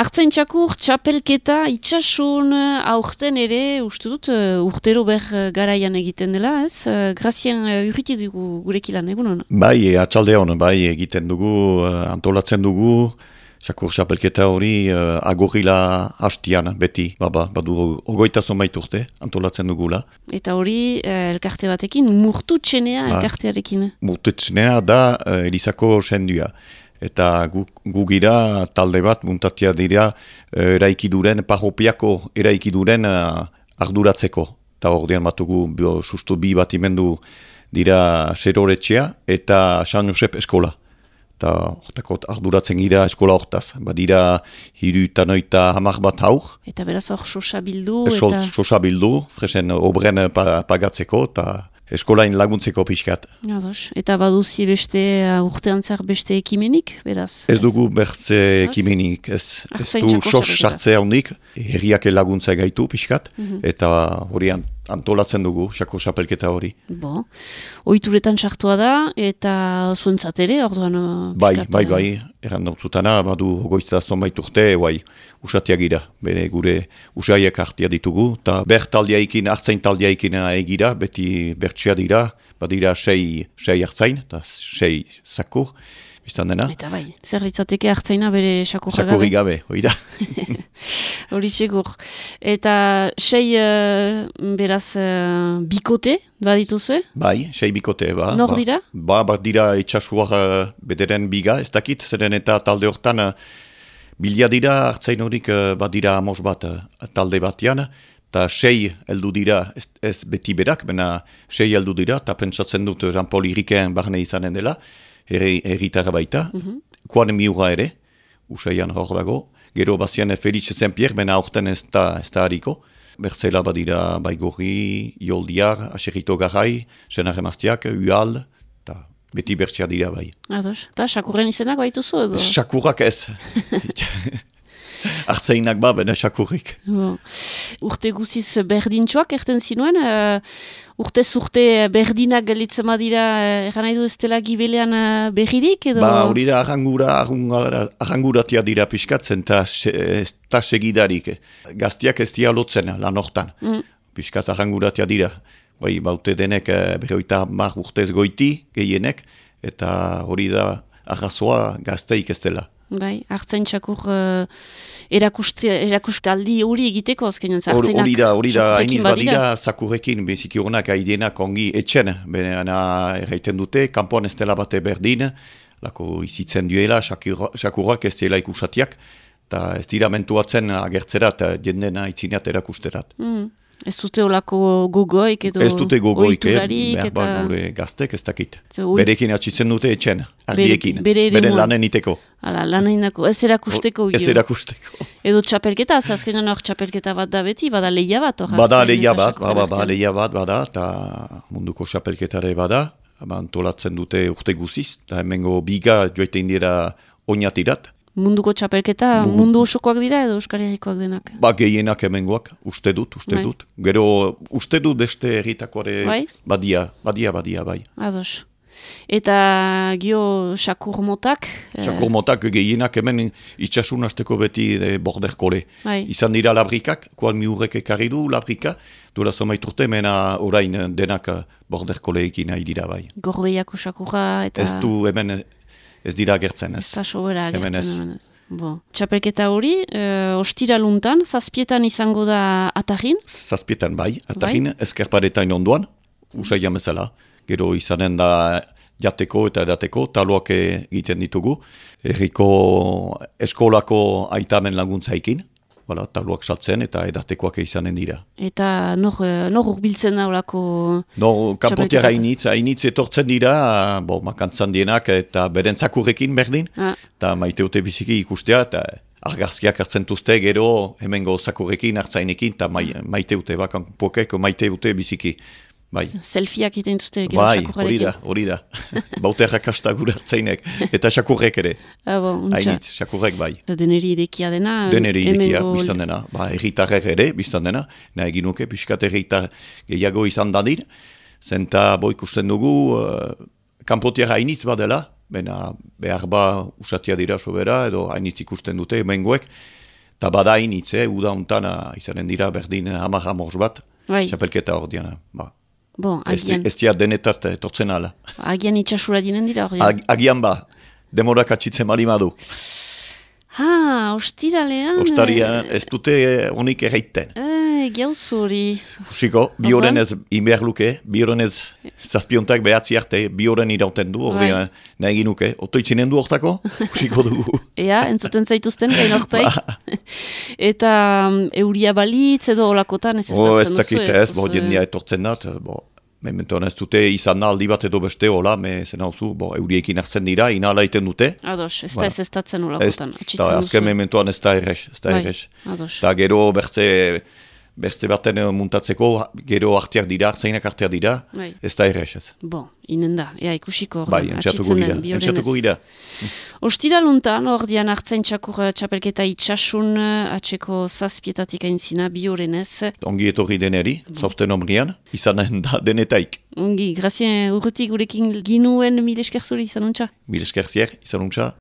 Artzaintzakur, txapelketa, itxasun, aurten ere, uste dut, urtero garaian egiten dela, ez? Grazien urriti dugu gurekilan, egunon? Bai, atxaldeon, bai, egiten dugu, antolatzen dugu, txakur txapelketa hori agorrila hastian, beti, badu ogoita zonbait urte, antolatzen dugula. Eta hori, elkarte batekin, murtutxenea elkartearekin? Murtutxenea da Elizako sendua. Eta gu gira talde bat muntatia dira eraikiduren, parropiako eraikiduren arduratzeko. Eta ordean batugu sustu bi batimendu dira Seroretxea eta San Josep eskola. Eta hortako arduratzen gira eskola hortaz. Badira 30 bat haur. Eta beraz hor sosa bildu? Sosa bildu, fresen obren pagatzeko eta eskolain laguntzeko pixkat. Eta baduzi beste urtean zer beste ekimenik, beraz? Ez dugu bertze ekimenik, ez du sos sartze handik, herriak laguntza gaitu pixkat, eta hori antolatzen dugu, xako xapelketa hori. Oituretan sartua da, eta zuentzat ere, orduan... Bai, errandauzutana, badu ogoizta zonbait urte, usatia gira, bere gure usaiak hartia ditugu, eta taldiaikin, hartzain taldiaikin egira, beti bertsia dira, badira 6 hartzain, eta 6 zakur, biztan dena. Eta bai, zer litzateke hartzaina bere sakurra gabe? Sakurri gabe, hori da. Hori segur. Eta 6 beraz bikote, badituzue? Bai, 6 bikote, ba. Nor dira? Dira itxasuar bederen biga, ez dakit, zeren eta talde hortan bilia dira, hartzain horik badira amos bat talde batean, eta 6 heldu dira, ez beti berak, bena 6 heldu dira, eta pentsatzen dut Jean-Paul Irikeen barne izanen dela, erritarra baita, koan miura ere, usaian hor dago, gero bazian Felix Saint-Pierre, bena aurten ez da hariko, bertzela badira Baigorri, Ioldiar, Aserrito Garrai, Senar Emaztiak, Ual, eta beti bertsia dira bai. Ados, eta sakurren izenak baituzu edo? Sakurrak ez. Artzainak bena sakurrik. Urte guziz berdintxoak erten zinuen, urte berdinak galitzen badira, eran nahi du ez dela gibelean berririk edo? Hori da arranguratia dira piskatzen eta segidarik. Gaztiak ez dira lotzen lan hortan. Piskat arranguratia dira. Baute denek berroita mar urtez goiti gehienek, eta hori da arrazoa gazteik ez dela. Bai, hartzaintzakur erakustaldi hori egiteko azkenean hartzainak. Hori da, hainiz badira zakurrekin, beziki horrenak haidienak ongi etxen, bena erraiten dute, kanpoan ez dela bate berdin, lako izitzen duela, sakurrak ez dela ikusatiak, eta ez dira mentuatzen agertzerat, jendena itzineat erakusterat. Ez dute olako gogoik edo oiturarik eta... Gure gaztek ez dakit. Berekin atxitzen dute etxen, ardiekin, bere lanen iteko. Lanen dako, ez erakusteko. Ez erakusteko. Edo txapelketa, azkenean hor txapelketa bat da beti, bada lehia bat. Bada lehia bat, bada, eta munduko txapelketare bada, antolatzen dute urte guziz, eta hemengo biga joetein dira oinatirat. Munduko txapelketa, mundu osokoak dira edo Euskal Herrikoak denak? Gehienak hemengoak, uste dut. Gero, uste dut beste herritakoare badia, bai. Ados. Eta gio sakur motak? Sakur motak gehienak hemen itxasun hasteko beti borderkole. Izan dira labrikak, koal miurrek ekarri du labrika, duela zomait urte, mena orain denak borderkoleekin nahi dira bai. Gorbeiako sakurra eta... Ez du hemen... Ez dira agertzen, ez. Ez da sobera agertzen. Txapelketa hori, ostiraluntan, zazpietan izango da Atarrin? Zazpietan bai, Atarrin, ezkerparetain onduan, usaian bezala. Gero izanen da jateko eta edateko, taloak egiten ditugu. Herriko eskolako aitamen laguntzaikin. Taloak saltzen eta edatekoak izanen dira. Eta nor urbiltzen da olako kanpotiak hainitz etortzen dira, makantzan dienak eta beren zakurrekin berdin, eta maiteute biziki ikustea, eta argazkiak hartzen duzte gero hemengo zakurrekin, hartzainekin, eta maiteute, kanpokeko maiteute biziki. Selfieak iten duzte gero sakurrekin. Hori da. Baute errakasta gure hartzainek. Eta sakurrek ere. Hainitz, sakurrek bai. Deneri idekia dena. Deneri idekia, biztan dena. Erritarrek ere, biztan dena. Nahi ginuke, piskat erritar gehiago izan dadin. Zenta ikusten dugu, kanpotiara hainitz badela. Behar usatia dira sobera, edo hainitz ikusten dute, hemengoek. Ta bada initz, uda hontan izanen dira berdin hamar bat, Bai. txapelketa hor diana. Ba. Bon, Ez agian, dia denetat etortzen ala. agian itxasura dinen dira hori. Agian ba, demorak atxitzen malimadu. Ostiralean... Ostarian ez dute honik erraiten. Gauz hori. Usiko, bi horren ez inbehar luke, bi horren ez zazpiontak behatzi arte, bi horren irauten du, hori nahi ginuke. Otoitzinen du hortako, usiko dugu. Ea, entzuten zaituzten gain hortaik. Eta euria balitz edo olakotan ez estatzen duzu. Ez dakit ez, jendia etortzen dat, mementoan ez dute izan aldi bat edo beste hola, zen hauzu, euriekin hartzen dira, inala iten dute. Ados, ez da ez estatzen olakotan. Azken mementoan ez da errez, ez da errez. Eta gero beste baten muntatzeko, gero arteak dira, artzainak arteak dira, ez da errez ez. Bo, inen da, ikuxiko hor. Bai, entxatuko gira. Ostiraluntan, hor dian hartzain txapelketa itxasun, atxeko zazpietatik aintzina, bi horrenez. Ongi etorri deneri, zauzten omrian, izanen da denetaik. Ongi, grazien urrutik gurekin ginuen mil esker zuri, izanuntza? Mil esker zier, izanuntza.